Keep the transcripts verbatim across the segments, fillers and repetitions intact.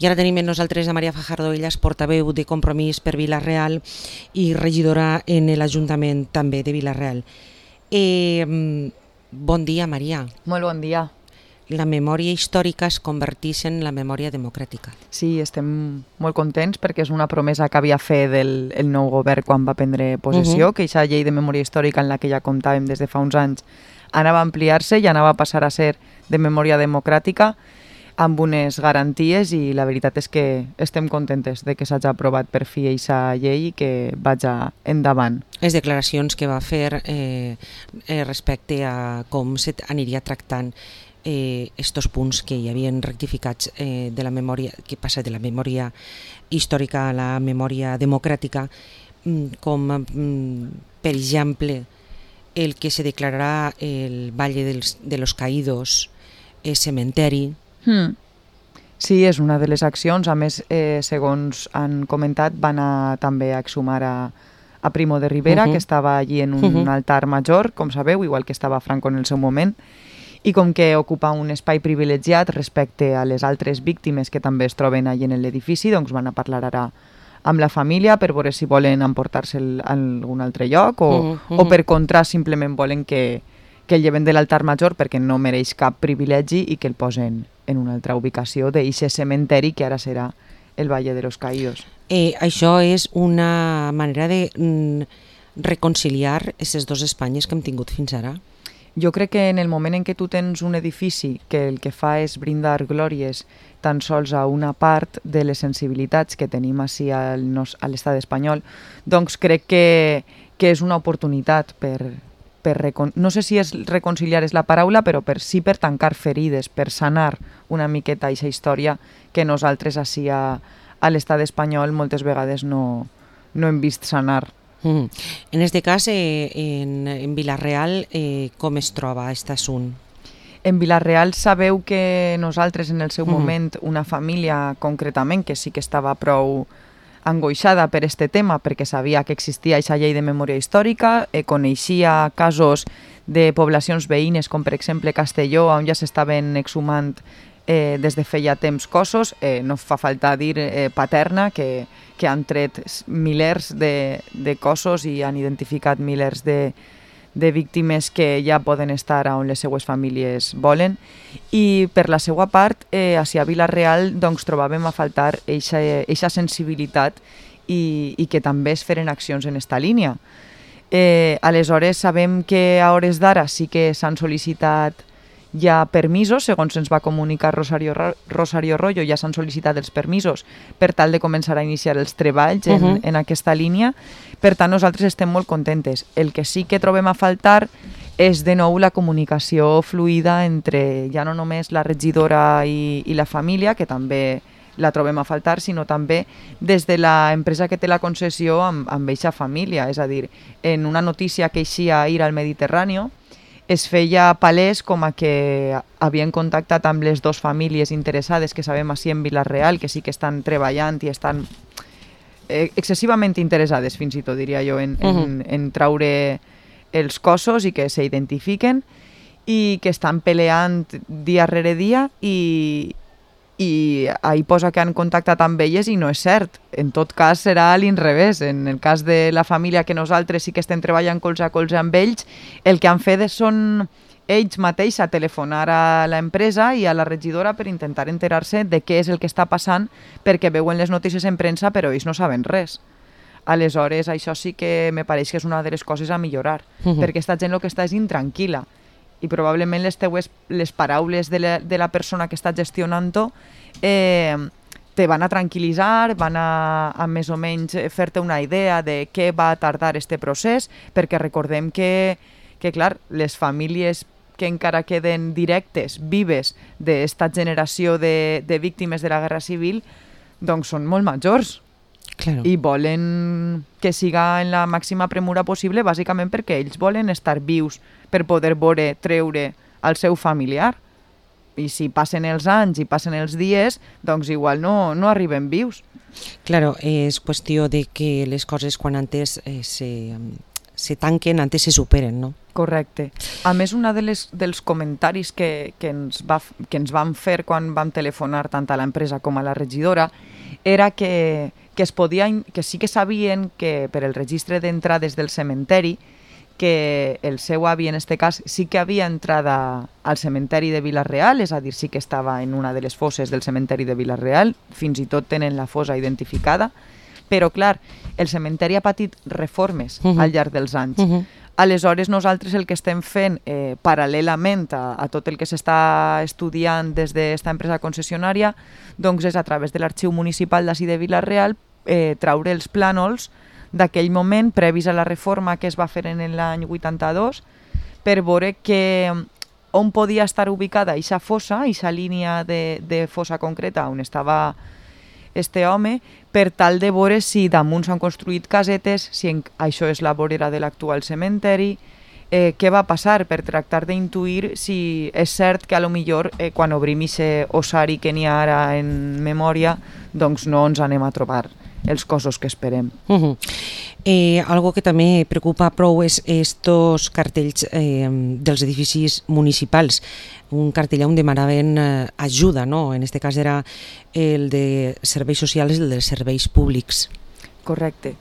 I ara tenim amb nosaltres a Maria Fajardo, ella és portaveu de Compromís per Vila-real i regidora en l'Ajuntament també de Vila-real. Eh, bon dia, Maria. Molt bon dia. La memòria històrica es converteix en la memòria democràtica. Sí, estem molt contents perquè és una promesa que havia fet el, el nou govern quan va prendre possessió, uh -huh. que aquesta llei de memòria històrica en la que ja comptàvem des de fa uns anys anava a ampliar-se i anava a passar a ser de memòria democràtica amb unes garanties, i la veritat és que estem contentes de que s'hagi aprovat per fi aquesta llei i que vagi endavant. Les declaracions que va fer eh, eh, respecte a com s'aniria tractant Eh, estos punts que hi havien rectificats eh, de la memòria, que passa de la memòria històrica a la memòria democràtica, com mm, per exemple el que se declararà el Valle dels, de los Caídos eh, cementeri. Hmm. Sí, és una de les accions. A més, eh, segons han comentat, van a, també a exhumar a, a Primo de Rivera, uh -huh. que estava allí en un uh -huh. altar major, com sabeu, igual que estava Franco en el seu moment, i com que ocupa un espai privilegiat respecte a les altres víctimes que també es troben allà en l'edifici, doncs van a parlar ara amb la família per veure si volen emportar-se'l a algun altre lloc o, uh -huh. o per contra simplement volen que, que el lleven de l'altar major perquè no mereix cap privilegi i que el posen en una altra ubicació d'aquest cementeri que ara serà el Valle de los Caídos. Eh, això és una manera de mm, reconciliar aquestes dues Espanyes que hem tingut fins ara? Jo crec que en el moment en què tu tens un edifici que el que fa és brindar glòries tan sols a una part de les sensibilitats que tenim així a l'estat espanyol, doncs crec que, que és una oportunitat per, per recon... no sé si és reconciliar és la paraula, però per sí per tancar ferides, per sanar una miqueta aquesta història que nosaltres així a, a l'estat espanyol moltes vegades no, no hem vist sanar. Mm. En aquest cas, eh, en, en Vila-real, eh, com es troba aquest assunt? En Vila-real sabeu que nosaltres en el seu mm. moment, una família concretament, que sí que estava prou angoixada per aquest tema, perquè sabia que existia aquesta llei de memòria històrica, eh, coneixia casos de poblacions veïnes, com per exemple Castelló, on ja s'estaven exhumant eh, des de feia temps cossos, eh, no fa falta dir eh, Paterna, que que han tret milers de, de cossos i han identificat milers de, de víctimes que ja poden estar on les seues famílies volen. I per la seva part, eh, a Vila-real doncs, trobàvem a faltar aquesta sensibilitat i, i que també es feren accions en aquesta línia. Eh, aleshores, sabem que a hores d'ara sí que s'han sol·licitat hi ha permisos, segons ens va comunicar Rosario, Rosario Royo, ja s'han sol·licitat els permisos per tal de començar a iniciar els treballs en, uh -huh. en aquesta línia. Per tant, nosaltres estem molt contentes. El que sí que trobem a faltar és de nou la comunicació fluida entre ja no només la regidora i, i la família, que també la trobem a faltar, sinó també des de l'empresa que té la concessió amb, amb eixa família. És a dir, en una notícia que eixia a ir al Mediterrani, es feia palès com a que havien contactat amb les dues famílies interessades que sabem així en Vila-real, que sí que estan treballant i estan eh, excessivament interessades, fins i tot diria jo, en, uh -huh. en, en traure els cossos i que s'identifiquen i que estan peleant dia rere dia i, i ahí posa que han contactat amb elles i no és cert. En tot cas serà a l'inrevés. En el cas de la família que nosaltres sí que estem treballant colze a colze amb ells, el que han fet són ells mateixos a telefonar a l'empresa i a la regidora per intentar enterar-se de què és el que està passant, perquè veuen les notícies en premsa però ells no saben res. Aleshores, això sí que me pareix que és una de les coses a millorar, uh -huh. perquè aquesta gent el que està és intranquil·la. I probablement les teues les paraules de la, de la persona que està gestionant-ho eh, te van a tranquil·litzar, van a, a més o menys fer-te una idea de què va tardar este procés, perquè recordem que, que clar, les famílies que encara queden directes, vives, d'esta generació de, de víctimes de la Guerra Civil, doncs són molt majors. Claro. I volen que siga en la màxima premura possible, bàsicament perquè ells volen estar vius per poder veure, treure al seu familiar. I si passen els anys i passen els dies, doncs igual no, no arriben vius. Claro, és qüestió de que les coses quan antes eh, se, se tanquen antes se superen, no? Correcte. A més, un de les, dels comentaris que, que, ens va, que ens van fer quan vam telefonar tant a l'empresa com a la regidora era que, que, es podia, que sí que sabien que per el registre d'entrades del cementeri que el seu avi, en este cas, sí que havia entrat al cementeri de Vila-real, és a dir, sí que estava en una de les fosses del cementeri de Vila-real, fins i tot tenen la fossa identificada, però, clar, el cementeri ha patit reformes uh -huh. al llarg dels anys. Uh -huh. Aleshores, nosaltres el que estem fent eh, paral·lelament a, a tot el que s'està estudiant des d'esta empresa concessionària, doncs és a través de l'arxiu municipal d'ací de Vila-real eh, traure els plànols d'aquell moment, previs a la reforma que es va fer en l'any vuitanta-dos, per veure que on podia estar ubicada aquesta fossa, aquesta línia de, de fossa concreta on estava este home, per tal de veure si damunt s'han construït casetes, si en, això és la vorera de l'actual cementeri, eh, què va passar, per tractar d'intuir si és cert que a lo millor eh, quan obrim aquest ossari que n'hi ha ara en memòria, doncs no ens anem a trobar els cossos que esperem. Uh -huh. eh, algo que també preocupa prou és estos cartells eh, dels edificis municipals. Un cartell on demanaven eh, ajuda, no? En este cas era el de serveis socials i el de serveis públics. Correcte.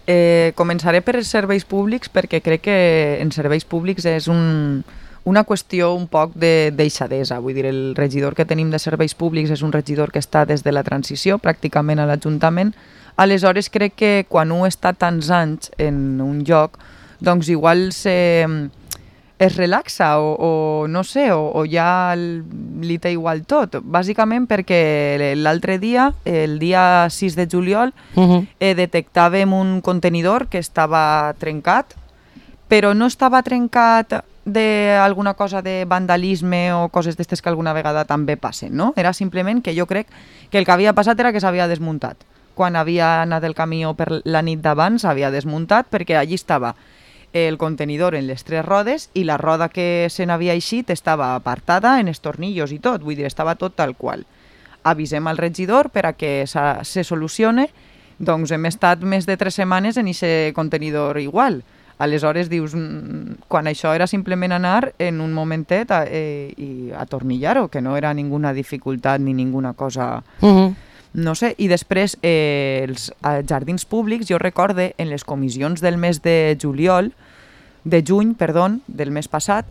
Eh, començaré per els serveis públics perquè crec que en serveis públics és un, una qüestió un poc de deixadesa. Vull dir, el regidor que tenim de serveis públics és un regidor que està des de la transició, pràcticament a l'Ajuntament. Aleshores, crec que quan un està tants anys en un lloc, doncs igual se, es relaxa o, o no sé, o, o ja li té igual tot. Bàsicament perquè l'altre dia, el dia sis de juliol, uh-huh. eh, detectàvem un contenidor que estava trencat, però no estava trencat d'alguna cosa de vandalisme o coses d'estes que alguna vegada també passen, no? Era simplement que jo crec que el que havia passat era que s'havia desmuntat. Quan havia anat el camió per la nit d'abans s'havia desmuntat perquè allí estava el contenidor en les tres rodes i la roda que se n'havia eixit estava apartada en els tornillos i tot, vull dir, estava tot tal qual. Avisem al regidor per a que se solucione, doncs hem estat més de tres setmanes en aquest contenidor igual. Aleshores dius, quan això era simplement anar en un momentet a, eh, i atornillar-ho, que no era ninguna dificultat ni ninguna cosa... Uh-huh. No sé, i després eh, els jardins públics, jo recorde en les comissions del mes de juliol, de juny, perdó, del mes passat,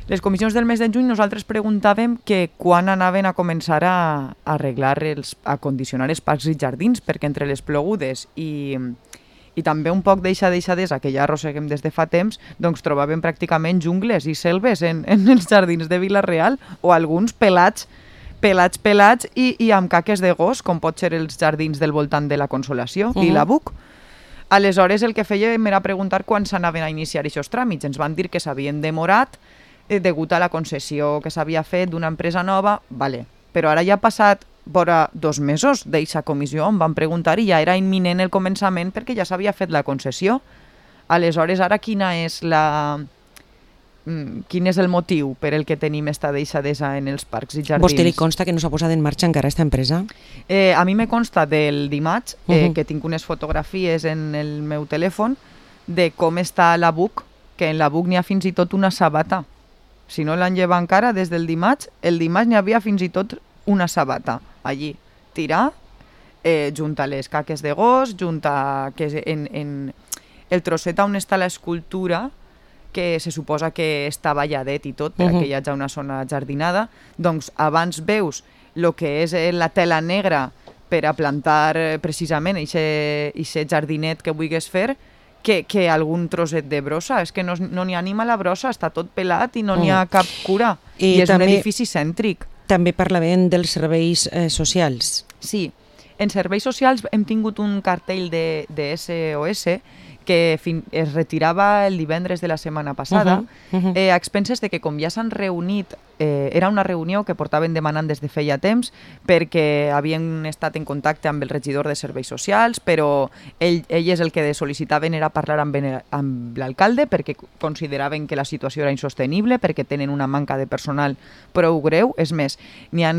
les comissions del mes de juny nosaltres preguntàvem que quan anaven a començar a, a arreglar, els, a condicionar els parcs i jardins, perquè entre les plogudes i, i també un poc d'eixa deixadesa que ja arrosseguem des de fa temps, doncs trobàvem pràcticament jungles i selves en, en els jardins de Vila-real o alguns pelats pelats, pelats i, i amb caques de gos, com pot ser els jardins del voltant de la Consolació uh-huh. i la Buc. Aleshores, el que fèiem era preguntar quan s'anaven a iniciar aquests tràmits. Ens van dir que s'havien demorat eh, degut a la concessió que s'havia fet d'una empresa nova, vale. Però ara ja ha passat vora dos mesos d'eixa comissió, em van preguntar i ja era imminent el començament perquè ja s'havia fet la concessió. Aleshores, ara quina és la... quin és el motiu per el que tenim esta deixadesa en els parcs i jardins. Vostè li consta que no s'ha posat en marxa encara aquesta empresa? Eh, a mi me consta del dimarts, eh, uh-huh. que tinc unes fotografies en el meu telèfon de com està la Buc, que en la Buc n'hi ha fins i tot una sabata. Si no l'han llevat encara des del dimarts, el dimarts n'hi havia fins i tot una sabata allí. Tirar, eh, junta les caques de gos, junta que en, en el trosset on està l'escultura, que se suposa que està balladet i tot, perquè uh-huh. hi hagi una zona jardinada, doncs abans veus el que és la tela negra per a plantar precisament aquest jardinet que vulguis fer, que, que algun trosset de brossa. És que no n'hi no ha ni mala brossa, està tot pelat i no n'hi ha cap cura. I, I és també, un edifici cèntric. També parlàvem dels serveis eh, socials. Sí, en serveis socials hem tingut un cartell de, de S O S que fin, es retirava el divendres de la setmana passada, uh-huh, uh-huh. Eh, a expenses de que com ja s'han reunit, eh, era una reunió que portaven demanant des de feia temps perquè havien estat en contacte amb el regidor de serveis socials, però ell, elles el que sol·licitaven era parlar amb, amb l'alcalde perquè consideraven que la situació era insostenible, perquè tenen una manca de personal prou greu. És més, n'hi ha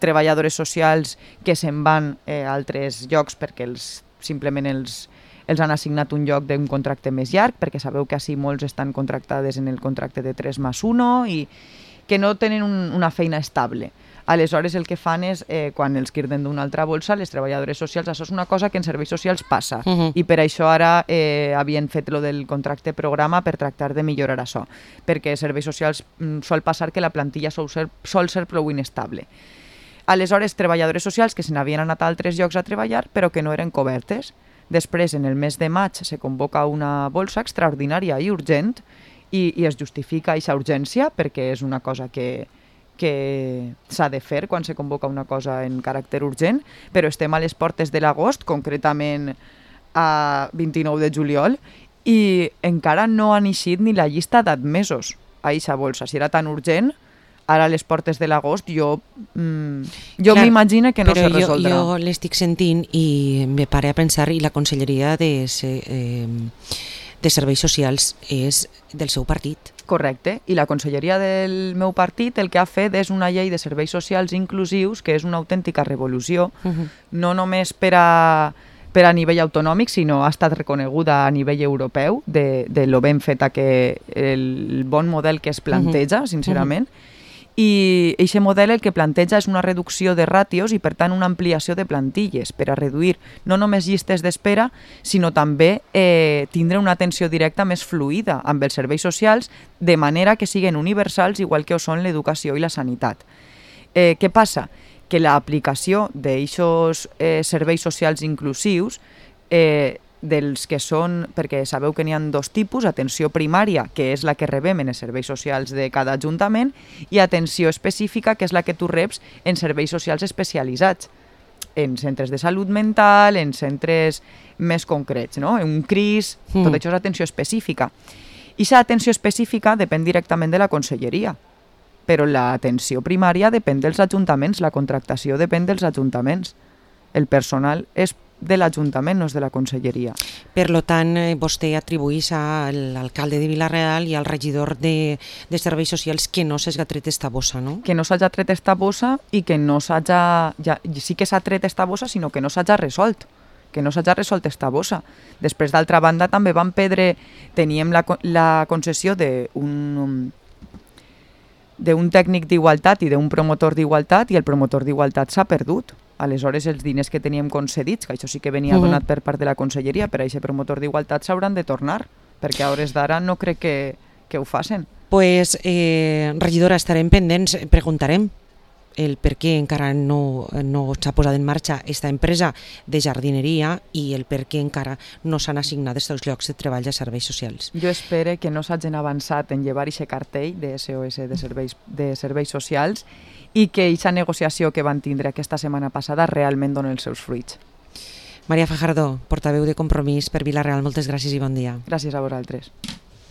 treballadores socials que se'n van eh, a altres llocs perquè els, simplement els els han assignat un lloc d'un contracte més llarg, perquè sabeu que així molts estan contractades en el contracte de tres més un i que no tenen un, una feina estable. Aleshores, el que fan és, eh, quan els quirden d'una altra bolsa, les treballadores socials, això és una cosa que en serveis socials passa, uh -huh. i per això ara eh, havien fet lo del contracte programa per tractar de millorar això, perquè serveis socials mm, sol passar que la plantilla sol ser, sol ser prou inestable. Aleshores, treballadores socials que se n'havien anat a altres llocs a treballar, però que no eren cobertes. Després, en el mes de maig, se convoca una bolsa extraordinària i urgent, i, i es justifica aquesta urgència, perquè és una cosa que que s'ha de fer quan se convoca una cosa en caràcter urgent, però estem a les portes de l'agost, concretament a vint-i-nou de juliol, i encara no han eixit ni la llista d'admesos a aquesta bolsa. Si era tan urgent, ara a les portes de l'agost jo, mm, jo m'imagino que no se resoldrà. Jo, jo l'estic sentint i me pare a pensar, i la Conselleria de, eh, de Serveis Socials és del seu partit. Correcte, i la Conselleria del meu partit el que ha fet és una llei de serveis socials inclusius que és una autèntica revolució, uh-huh. no només per a, per a nivell autonòmic, sinó ha estat reconeguda a nivell europeu de, de lo ben feta que el bon model que es planteja, uh-huh. sincerament, uh-huh. i aquest model el que planteja és una reducció de ràtios i per tant una ampliació de plantilles per a reduir no només llistes d'espera, sinó també eh, tindre una atenció directa més fluida amb els serveis socials de manera que siguin universals igual que ho són l'educació i la sanitat. Eh, què passa? Que l'aplicació d'aixos eh, serveis socials inclusius eh, dels que són, perquè sabeu que n'hi ha dos tipus, atenció primària, que és la que rebem en els serveis socials de cada ajuntament, i atenció específica, que és la que tu reps en serveis socials especialitzats, en centres de salut mental, en centres més concrets, no? En un C R I S, mm. tot això és atenció específica. I aquesta atenció específica depèn directament de la conselleria, però l'atenció primària depèn dels ajuntaments, la contractació depèn dels ajuntaments. El personal és de l'Ajuntament, no és de la Conselleria. Per lo tant, vostè atribuís a l'alcalde de Vila-real i al regidor de, de Serveis Socials que no s'hagi tret esta bossa, no? Que no s'hagi tret esta bossa i que no s'hagi... Ja, sí que s'ha tret esta bossa, sinó que no s'hagi resolt. Que no s'hagi resolt esta bossa. Després, d'altra banda, també van perdre... Teníem la, la concessió d'un d'un tècnic d'igualtat i d'un promotor d'igualtat i el promotor d'igualtat s'ha perdut. Aleshores, els diners que teníem concedits, que això sí que venia donat per part de la Conselleria, per a aquest promotor d'igualtat s'hauran de tornar, perquè a hores d'ara no crec que, que ho facin. Pues, eh, regidora, estarem pendents, preguntarem el per què encara no, no s'ha posat en marxa aquesta empresa de jardineria i el per què encara no s'han assignat aquests llocs de treball a serveis socials. Jo espero que no s'hagin avançat en llevar aquest cartell de S O S de serveis, de serveis socials i que aquesta negociació que van tindre aquesta setmana passada realment doni els seus fruits. Maria Fajardo, portaveu de Compromís per Vila-real, moltes gràcies i bon dia. Gràcies a vosaltres.